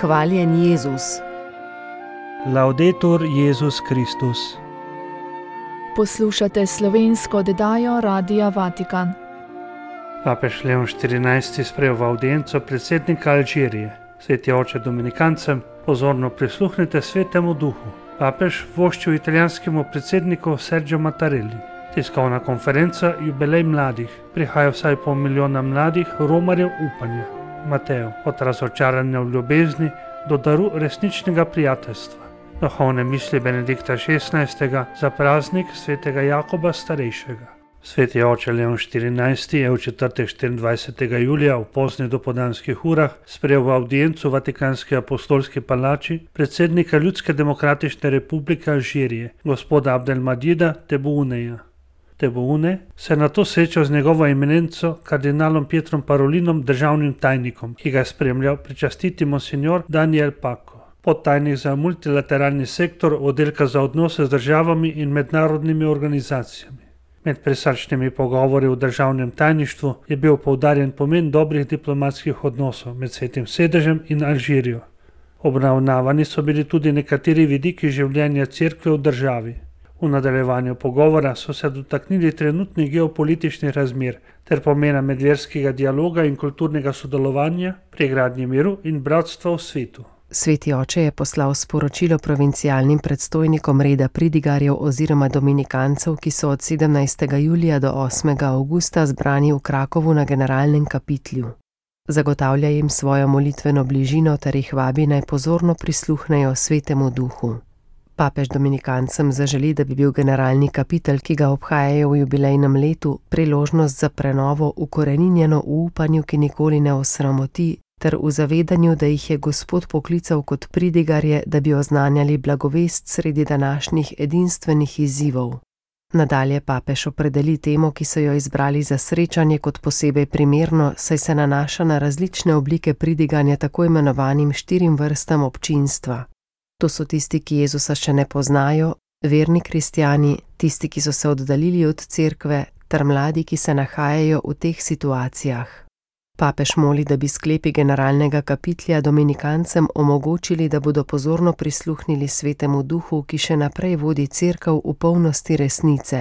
Hvaljen Jezus. Laudetur Jezus Kristus. Poslušate slovensko oddajo Radia Vatikan. Papež Leon XIV sprejel v avdienco predsednika Alžirije. Sveti oče Dominikancem, pozorno prisluhnite Svetemu Duhu. Papež voščil italijanskemu predsedniku Sergio Mattarelli. Tiskovna konferenca Jubilej mladih. Prihaja vsaj pol milijona mladih romarjev upanja. Mateo, od razočaranja v ljubezni do daru resničnega prijateljstva. Duhovne misli Benedikta XVI. Za praznik svetega Jakoba starejšega. Sveti oče Leon XIV. Je v četrtek 24. julija v poznih dopoldanskih urah sprejel v avdiencu v Vatikanski apostolski palači predsednika Ljudske demokratične republike Alžirije, gospoda Abdelmadjida Tebouneja. Tebboune se je nato srečal z njegovo eminenco kardinalom Pietrom Parolinom, državnim tajnikom, ki ga je spremljal pričastiti monsignor Daniel Paco, podtajnik za multilateralni sektor oddelka za odnose z državami in mednarodnimi organizacijami. Med presačnimi pogovori v državnem tajništvu je bil poudarjen pomen dobrih diplomatskih odnosov med Svetim sedežem in Alžirijo. Obravnavani so bili tudi nekateri vidiki življenja cerkve v državi. V nadaljevanju pogovora so se dotaknili trenutnih geopolitičnih razmer ter pomena medverskega dialoga in kulturnega sodelovanja pri gradnji miru in bratstva v svetu. Sveti oče je poslal sporočilo provincialnim predstojnikom reda pridigarjev oziroma dominikancev, ki so od 17. julija do 8. avgusta zbrani v Krakovu na generalnem kapitlju. Zagotavlja jim svojo molitveno bližino ter jih vabi naj pozorno prisluhnejo Svetemu Duhu. Papež dominikancem zaželi, da bi bil generalni kapitel, ki ga obhajajo v jubilejnem letu, priložnost za prenovo ukoreninjeno v upanju, ki nikoli ne osramoti, ter v zavedanju, da jih je Gospod poklical kot pridigarje, da bi oznanjali blagovest sredi današnjih edinstvenih izzivov. Nadalje papež opredeli temo, ki so jo izbrali za srečanje kot posebej primerno, saj se nanaša na različne oblike pridiganja tako imenovanim 4 vrstam občinstva. To so tisti, ki Jezusa še ne poznajo, verni kristjani, tisti, ki so se oddaljili od cerkve, ter mladi, ki se nahajajo v teh situacijah. Papež moli, da bi sklepi generalnega kapitlja dominikancem omogočili, da bodo pozorno prisluhnili Svetemu Duhu, ki še naprej vodi cerkev v polnosti resnice.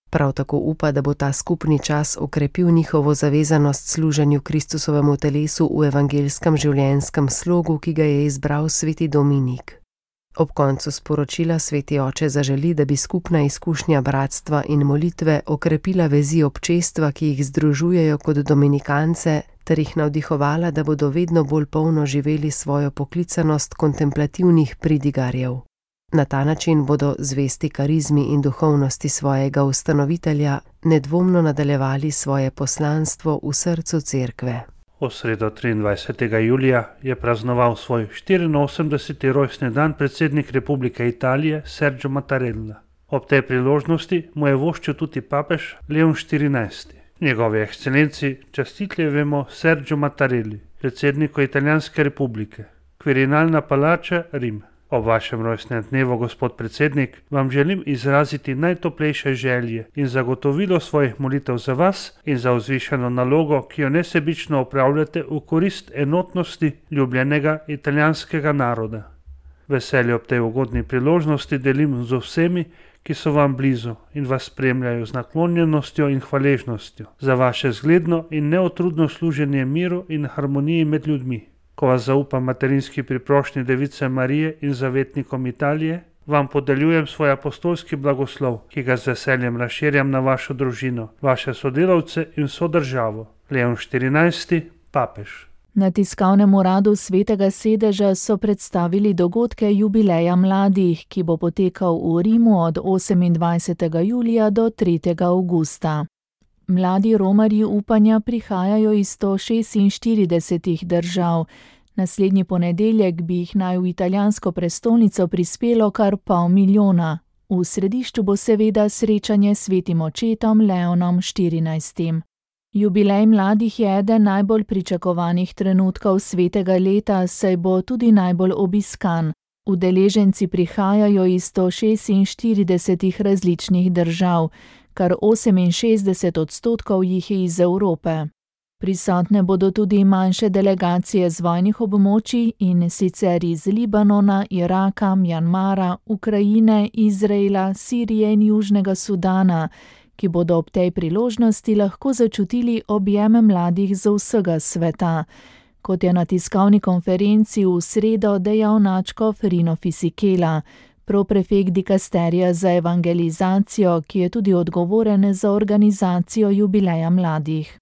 Prav tako upa, da bo ta skupni čas okrepil njihovo zavezanost služenju Kristusovemu telesu v evangelskem življenjskem slogu, ki ga je izbral sveti Dominik. Ob koncu sporočila sveti oče zaželi, da bi skupna izkušnja bratstva in molitve okrepila vezi občestva, ki jih združujejo kot dominikance, ter jih navdihovala, da bodo vedno bolj polno živeli svojo poklicanost kontemplativnih pridigarjev. Na ta način bodo zvesti karizmi in duhovnosti svojega ustanovitelja nedvomno nadaljevali svoje poslanstvo v srcu cerkve. V sredo 23. julija je praznoval svoj 84. rojstni dan predsednik Republike Italije Sergio Mattarella. Ob tej priložnosti mu je voščil tudi papež Leon XIV. Njegovi ekscelenci častitljivemu Sergio Mattarelli, predsedniku Italijanske republike, Quirinalna palača, Rim. Ob vašem rojstnem dnevu, gospod predsednik, vam želim izraziti najtoplejše želje in zagotovilo svojih molitev za vas in za vzvišeno nalogo, ki jo nesebično opravljate v korist enotnosti ljubljenega italijanskega naroda. Veselje ob tej ugodni priložnosti delim z vsemi, ki so vam blizu in vas spremljajo z naklonjenostjo in hvaležnostjo za vaše zgledno in neotrudno služenje miru in harmoniji med ljudmi. Ko vas zaupa materinski priprošnji Device Marije in zavetnikom Italije, vam podeljujem svoj apostolski blagoslov, ki ga z veseljem razširjam na vašo družino, vaše sodelavce in sodržavo. Leon XIV, papež. Na tiskovnem uradu Svetega sedeža so predstavili dogodke jubileja mladih, ki bo potekal v Rimu od 28. julija do 3. avgusta. Mladi romarji upanja prihajajo iz 146 držav. Naslednji ponedeljek bi jih naj v italijansko prestolnico prispelo kar 500 000. V središču bo seveda srečanje s svetim očetom Leonom XIV. Jubilej mladih je eden najbolj pričakovanih trenutkov svetega leta, saj bo tudi najbolj obiskan. Udeleženci prihajajo iz 146 različnih držav. Kar 68% jih je iz Evrope. Prisotne bodo tudi manjše delegacije z vojnih območij, in sicer iz Libanona, Iraka, Mjanmara, Ukrajine, Izraela, Sirije in Južnega Sudana, ki bodo ob tej priložnosti lahko začutili objeme mladih z vsega sveta. Kot je na tiskovni konferenci v sredo dejal nadškof Rino Fisichella, proprefekt dikasterija za evangelizacijo, ki je tudi odgovoren za organizacijo jubileja mladih.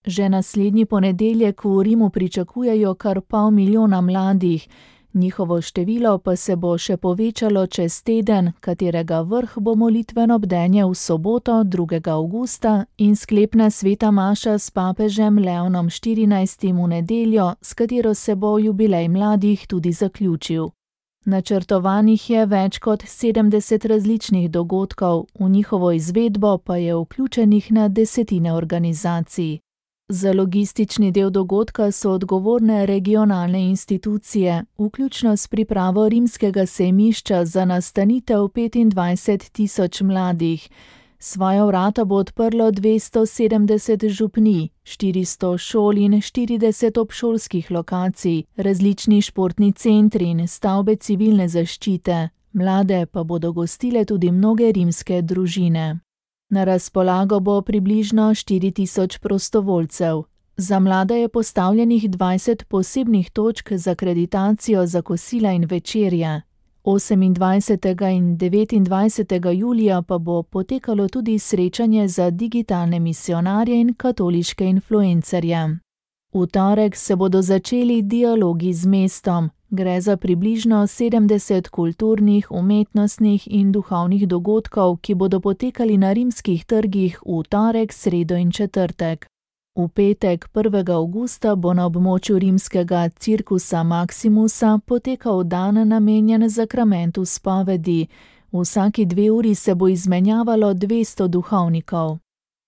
Že naslednji ponedeljek v Rimu pričakujejo kar 500 000 mladih, njihovo število pa se bo še povečalo čez teden, katerega vrh bo molitveno bdenje v soboto 2. avgusta in sklepna sveta maša s papežem Leonom XIV v nedeljo, s katero se bo jubilej mladih tudi zaključil. Načrtovanih je več kot 70 različnih dogodkov, v njihovo izvedbo pa je vključenih na desetine organizacij. Za logistični del dogodka so odgovorne regionalne institucije, vključno s pripravo rimskega sejmišča za nastanitev 25 000 mladih. Svoja vrata bo odprlo 270 župnij, 400 šol in 40 obšolskih lokacij, različni športni centri in stavbe civilne zaščite. Mlade pa bodo gostile tudi mnoge rimske družine. Na razpolago bo približno 4000 prostovoljcev. Za mlade je postavljenih 20 posebnih točk za akreditacijo za kosila in večerje. 28. in 29. julija pa bo potekalo tudi srečanje za digitalne misionarje in katoliške influencerje. V torek se bodo začeli dialogi z mestom. Gre za približno 70 kulturnih, umetnostnih in duhovnih dogodkov, ki bodo potekali na rimskih trgih v torek, sredo in četrtek. V petek 1. avgusta bo na območju rimskega Circusa Maximusa potekal dan namenjen zakramentu spovedi. Vsaki 2 uri se bo izmenjavalo 200 duhovnikov.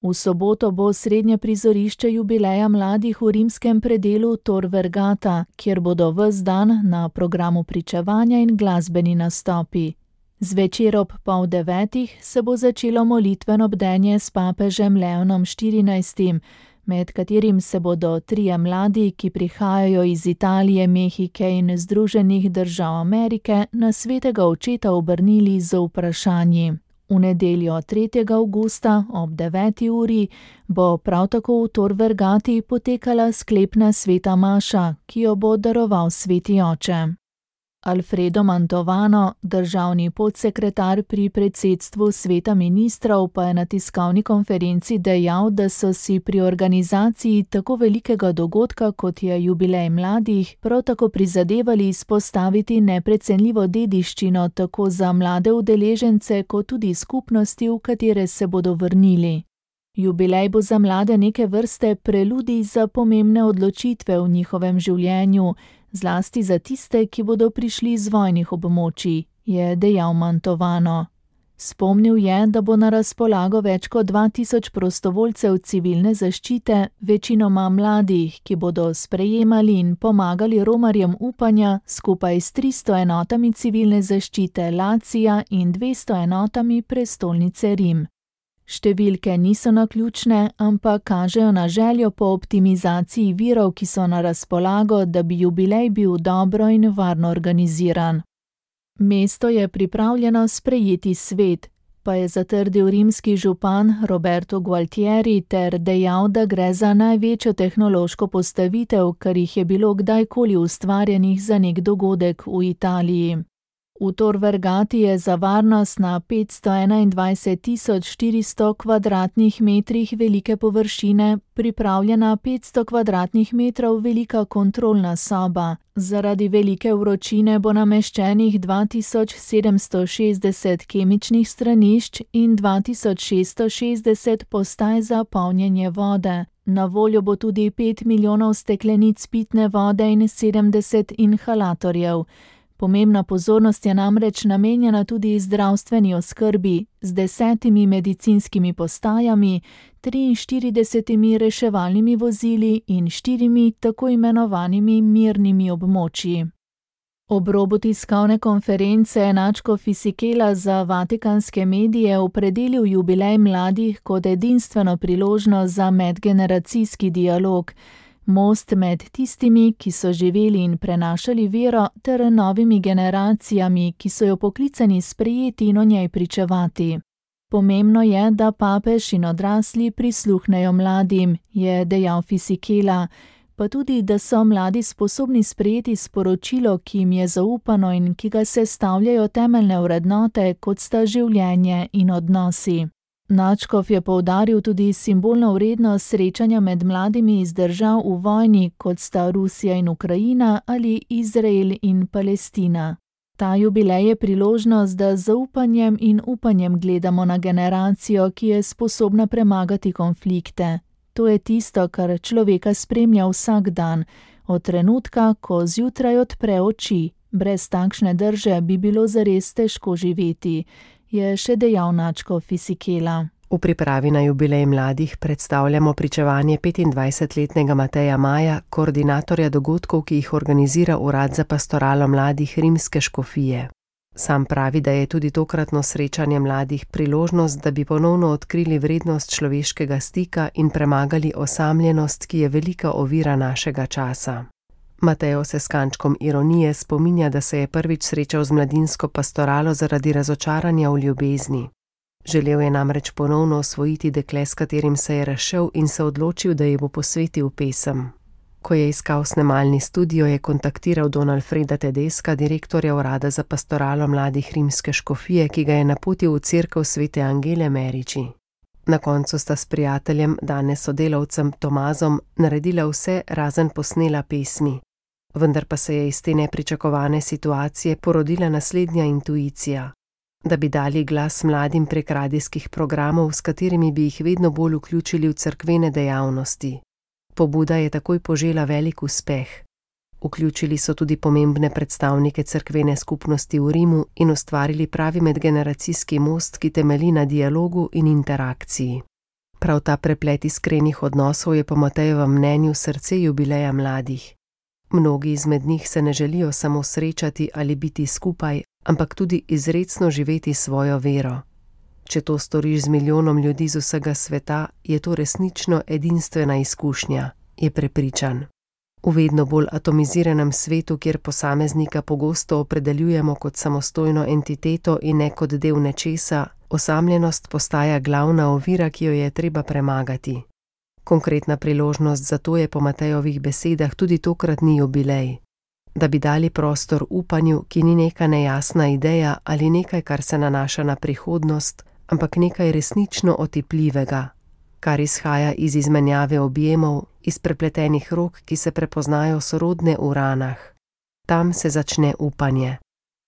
V soboto bo srednje prizorišče jubileja mladih v rimskem predelu Tor Vergata, kjer bodo ves dan na programu pričevanja in glasbeni nastopi. Zvečer ob 8:30 se bo začelo molitveno bdenje s papežem Leonom XIV, med katerim se bodo 3 mladi, ki prihajajo iz Italije, Mehike in Združenih držav Amerike, na svetega očeta obrnili z vprašanji. V nedeljo 3. avgusta ob 9. uri bo prav tako v Tor Vergati potekala sklepna sveta maša, ki jo bo daroval sveti oče. Alfredo Mantovano, državni podsekretar pri predsedstvu sveta ministrov, pa je na tiskovni konferenci dejal, da so si pri organizaciji tako velikega dogodka, kot je jubilej mladih, prav tako prizadevali izpostaviti neprecenljivo dediščino tako za mlade udeležence, kot tudi skupnosti, v katere se bodo vrnili. Jubilej bo za mlade neke vrste preludij za pomembne odločitve v njihovem življenju, zlasti za tiste, ki bodo prišli z vojnih območij, je dejal Mantovano. Spomnil je, da bo na razpolago več kot 2000 prostovoljcev civilne zaščite, večinoma mladih, ki bodo sprejemali in pomagali romarjem upanja skupaj s 300 enotami civilne zaščite Lacija in 200 enotami prestolnice Rim. Številke niso naključne, ampak kažejo na željo po optimizaciji virov, ki so na razpolago, da bi jubilej bil dobro in varno organiziran. Mesto je pripravljeno sprejeti svet, pa je zatrdil rimski župan Roberto Gualtieri ter dejal, da gre za največjo tehnološko postavitev, kar jih je bilo kdajkoli ustvarjenih za nek dogodek v Italiji. V Tor Vergati je za varnost na 521.400 kvadratnih metrih velike površine pripravljena 500 kvadratnih metrov velika kontrolna soba. Zaradi velike vročine bo nameščenih 2760 kemičnih stranišč in 2660 postaj za polnjenje vode. Na voljo bo tudi 5 milijonov steklenic pitne vode in 70 inhalatorjev. Pomembna pozornost je namreč namenjena tudi zdravstveni oskrbi z 10 medicinskimi postajami, 43 reševalnimi vozili in 4 tako imenovanimi mirnimi območji. Ob robu tiskovne konference je nadškof Fisichella za vatikanske medije opredelil jubilej mladih kot edinstveno priložnost za medgeneracijski dialog, most med tistimi, ki so živeli in prenašali vero, ter novimi generacijami, ki so jo poklicani sprejeti in o njej pričevati. Pomembno je, da papež in odrasli prisluhnejo mladim, je dejal Fisichella, pa tudi, da so mladi sposobni sprejeti sporočilo, ki jim je zaupano in ki ga sestavljajo temeljne vrednote, kot sta življenje in odnosi. Nadškof je poudaril tudi simbolno vrednost srečanja med mladimi iz držav v vojni, kot sta Rusija in Ukrajina ali Izrael in Palestina. Ta jubilej je priložnost, da z zaupanjem in upanjem gledamo na generacijo, ki je sposobna premagati konflikte. To je tisto, kar človeka spremlja vsak dan, od trenutka, ko zjutraj odpre oči. Brez takšne drže bi bilo zares težko živeti, je še dejal nadškof Fisichella. V pripravi na jubilej mladih predstavljamo pričevanje 25-letnega Mateja Maja, koordinatorja dogodkov, ki jih organizira Urad za pastoralo mladih Rimske škofije. Sam pravi, da je tudi tokratno srečanje mladih priložnost, da bi ponovno odkrili vrednost človeškega stika in premagali osamljenost, ki je velika ovira našega časa. Mateo se s kančkom ironije spominja, da se je prvič srečal z mladinsko pastoralo zaradi razočaranja v ljubezni. Želel je namreč ponovno osvojiti dekle, s katerim se je razšel, in se odločil, da ji bo posvetil pesem. Ko je iskal snemalni studio, je kontaktiral Don Alfreda Tedesca, direktorja Urada za pastoralo mladih Rimske škofije, ki ga je napotil v cerkev Svete Angele Meriči. Na koncu sta s prijateljem, danes sodelavcem Tomazom, naredila vse, razen posnela pesmi. Vendar pa se je iz te nepričakovane situacije porodila naslednja intuicija. Da bi dali glas mladim prek radijskih programov, s katerimi bi jih vedno bolj vključili v cerkvene dejavnosti. Pobuda je takoj požela velik uspeh. Vključili so tudi pomembne predstavnike cerkvene skupnosti v Rimu in ustvarili pravi medgeneracijski most, ki temelji na dialogu in interakciji. Prav ta preplet iskrenih odnosov je po Matejevem mnenju srce jubileja mladih. Mnogi izmed njih se ne želijo samo srečati ali biti skupaj, ampak tudi izrecno živeti svojo vero. Če to storiš z milijonom ljudi z vsega sveta, je to resnično edinstvena izkušnja, je prepričan. V vedno bolj atomiziranem svetu, kjer posameznika pogosto opredeljujemo kot samostojno entiteto in ne kot del nečesa, osamljenost postaja glavna ovira, ki jo je treba premagati. Konkretna priložnost za to je po Matejovih besedah tudi tokratni jubilej. Da bi dali prostor upanju, ki ni neka nejasna ideja ali nekaj, kar se nanaša na prihodnost, ampak nekaj resnično otipljivega, kar izhaja iz izmenjave objemov, iz prepletenih rok, ki se prepoznajo sorodne v ranah. Tam se začne upanje.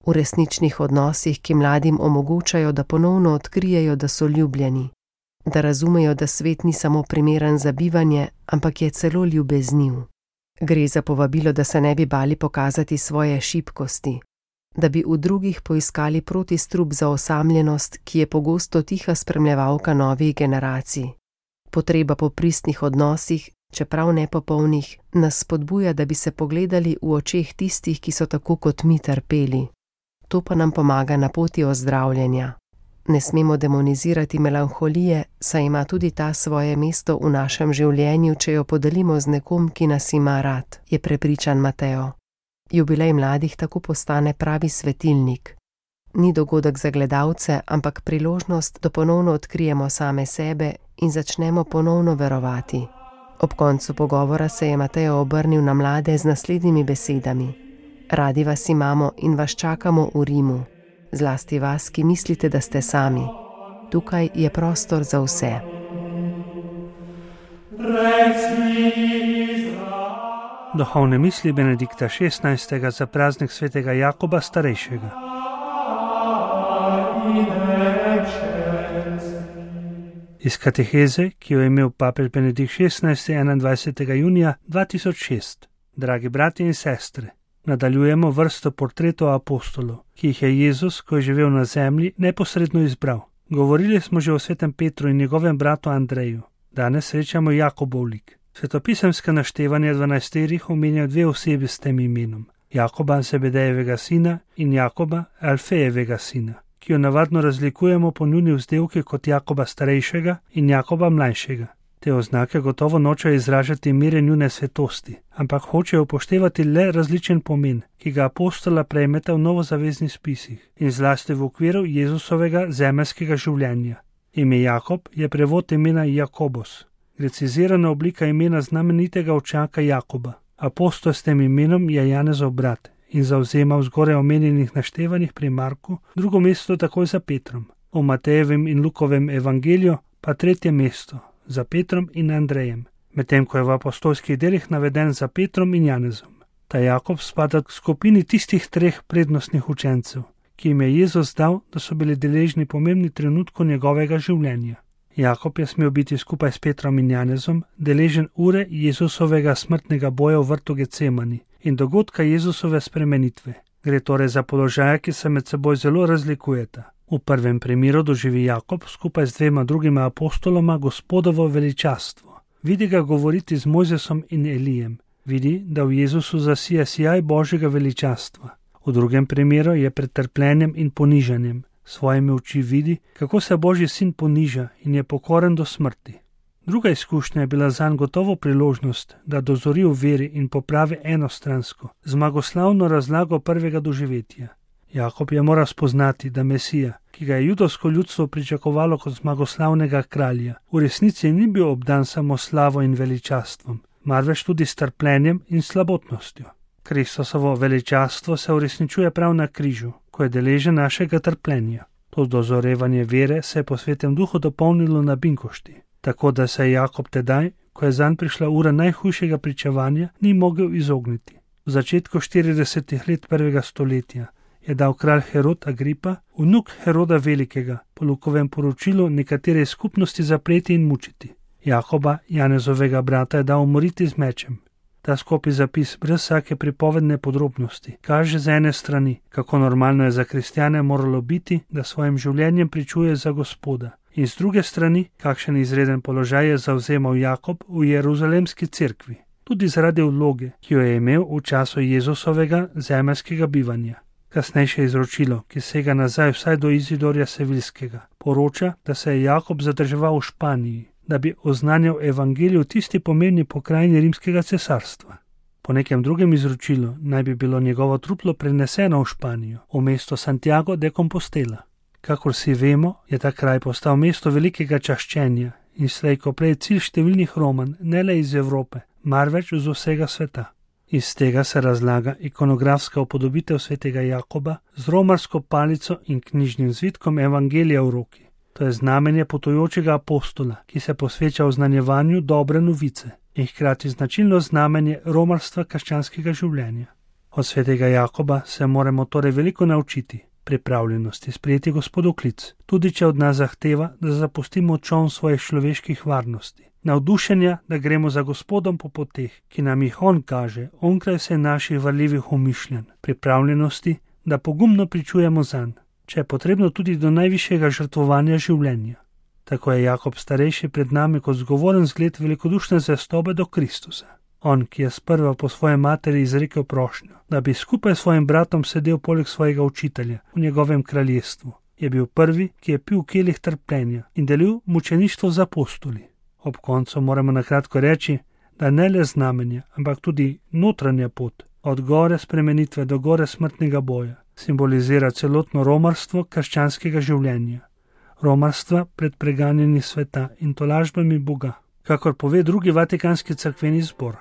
V resničnih odnosih, ki mladim omogočajo, da ponovno odkrijejo, da so ljubljeni, da razumejo, da svet ni samo primeren za bivanje, ampak je celo ljubezniv. Gre za povabilo, da se ne bi bali pokazati svoje šibkosti, da bi v drugih poiskali protistrup za osamljenost, ki je pogosto tiha spremljevalka novih generacij. Potreba po pristnih odnosih, čeprav nepopolnih, nas spodbuja, da bi se pogledali v očeh tistih, ki so tako kot mi trpeli. To pa nam pomaga na poti ozdravljenja. Ne smemo demonizirati melanholije, saj ima tudi ta svoje mesto v našem življenju, če jo podelimo z nekom, ki nas ima rad, je prepričan Mateo. Jubilej mladih tako postane pravi svetilnik. Ni dogodek za gledalce, ampak priložnost, da ponovno odkrijemo same sebe in začnemo ponovno verovati. Ob koncu pogovora se je Mateo obrnil na mlade z naslednjimi besedami. Radi vas imamo in vas čakamo v Rimu. Zlasti vas, ki mislite, da ste sami. Tukaj je prostor za vse. Duhovne misli Benedikta XVI. Za praznik svetega Jakoba starejšega. Iz kateheze, ki jo je imel papež Benedikt XVI. 21. junija 2006. Dragi bratje in sestre, nadaljujemo vrsto portretov apostolov, ki jih je Jezus, ko je živel na zemlji, neposredno izbral. Govorili smo že o svetem Petru in njegovem bratu Andreju. Danes srečamo Jakobov lik. Svetopisemska naštevanja 12 omenjajo dve osebi s tem imenom. Jakoba Zebedejevega sina in Jakoba Alfejevega sina, ki jo navadno razlikujemo po njuni vzdevki kot Jakoba starejšega in Jakoba mlajšega. Te oznake gotovo nočejo izražati mere njune svetosti, ampak hočejo upoštevati le različen pomen, ki ga apostola prejmeta v novozaveznih spisih in zlasti v okviru Jezusovega zemeljskega življenja. Ime Jakob je prevod imena Jakobos, grecizirana oblika imena znamenitega očaka Jakoba. Apostol s tem imenom je Janezov brat in zavzema v zgoraj omenjenih naštevanjih pri Marku drugo mesto takoj za Petrom, v Matejevem in Lukovem evangeliju pa tretje mesto za Petrom in Andrejem, medtem ko je v apostolskih delih naveden za Petrom in Janezom. Ta Jakob spada k skupini tistih treh prednostnih učencev, ki jim je Jezus dal, da so bili deležni pomembnih trenutkov njegovega življenja. Jakob je smel biti skupaj s Petrom in Janezom deležen ure Jezusovega smrtnega boja v vrtu Getsemani in dogodka Jezusove spremenitve. Gre torej za položaja, ki se med seboj zelo razlikujeta. V prvem primeru doživi Jakob skupaj z dvema drugima apostoloma Gospodovo veličastvo. Vidi ga govoriti z Mojzesom in Elijem. Vidi, da v Jezusu zasija sijaj Božjega veličastva. V drugem primeru je pred trpljenjem in ponižanjem. Svojimi oči vidi, kako se Božji sin poniža in je pokoren do smrti. Druga izkušnja je bila zanj gotovo priložnost, da dozori v veri in popravi enostransko, zmagoslavno razlago prvega doživetja. Jakob je moral spoznati, da Mesija, ki ga je judovsko ljudstvo pričakovalo kot zmagoslavnega kralja, v resnici ni bil obdan samo slavo in veličastvom, marveč tudi s trpljenjem in slabotnostjo. Kristusovo veličastvo se uresničuje prav na križu, ko je deležen našega trpljenja. To dozorevanje vere se je po Svetem duhu dopolnilo na binkošti, tako da se je Jakob tedaj, ko je zanj prišla ura najhujšega pričevanja, ni mogel izogniti. V začetku 40 let prvega stoletja je dal kralj Herod Agripa, vnuk Heroda Velikega, po Lukovem poročilu nekatere skupnosti zapreti in mučiti. Jakoba, Janezovega brata, je dal umoriti z mečem. Ta skopi zapis brez vsake pripovedne podrobnosti kaže z ene strani, kako normalno je za kristjane moralo biti, da svojim življenjem pričuje za Gospoda, in z druge strani, kakšen izreden položaj je zavzemal Jakob v Jeruzalemski cerkvi, tudi zaradi vloge, ki jo je imel v času Jezusovega zemeljskega bivanja. Kasnejše izročilo, ki sega nazaj vsaj do Izidorja Sevilskega, poroča, da se je Jakob zadrževal v Španiji, da bi oznanjal evangelij v tisti pomembni pokrajini rimskega cesarstva. Po nekem drugem izročilu naj bi bilo njegovo truplo preneseno v Španijo, v mesto Santiago de Compostela. Kakor si vemo, je ta kraj postal mesto velikega čaščenja in slej ko prej cilj številnih Roman, ne le iz Evrope, marveč z vsega sveta. Iz tega se razlaga ikonografska upodobitev svetega Jakoba z romarsko palico in knjižnim zvitkom evangelija v roki. To je znamenje potujočega apostola, ki se posveča oznanjevanju dobre novice in hkrati značilno znamenje romarstva krščanskega življenja. Od svetega Jakoba se moramo torej veliko naučiti, pripravljenosti sprejeti Gospodov klic, tudi če od nas zahteva, da zapustimo čoln svojih človeških varnosti. Navdušenja, da gremo za Gospodom po poteh, ki nam jih on kaže, onkraj vse naših varljivih umišljanj, pripravljenosti, da pogumno pričujemo zanj, če je potrebno tudi do najvišjega žrtvovanja življenja. Tako je Jakob starejši pred nami kot zgovoren zgled velikodušne zvestobe do Kristusa. On, ki je sprva po svoje materi izrekel prošnjo, da bi skupaj s svojim bratom sedel poleg svojega učitelja v njegovem kraljestvu, je bil prvi, ki je pil kelih trpljenja in delil mučeništvo z apostoli. Ob koncu moramo na kratko reči, da ne le znamenja, ampak tudi notranja pot, od gore spremenitve do gore smrtnega boja, simbolizira celotno romarstvo krščanskega življenja, romarstva pred preganjanjem sveta in tolažbami Boga, kakor pove drugi Vatikanski cerkveni zbor.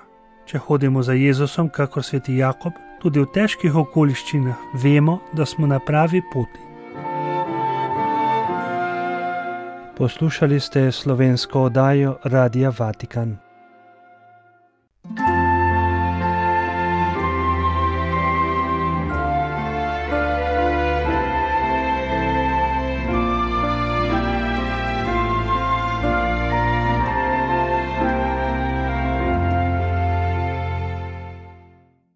Če hodimo za Jezusom, kakor sveti Jakob, tudi v težkih okoliščinah vemo, da smo na pravi poti. Poslušali ste slovensko oddajo Radia Vatikan.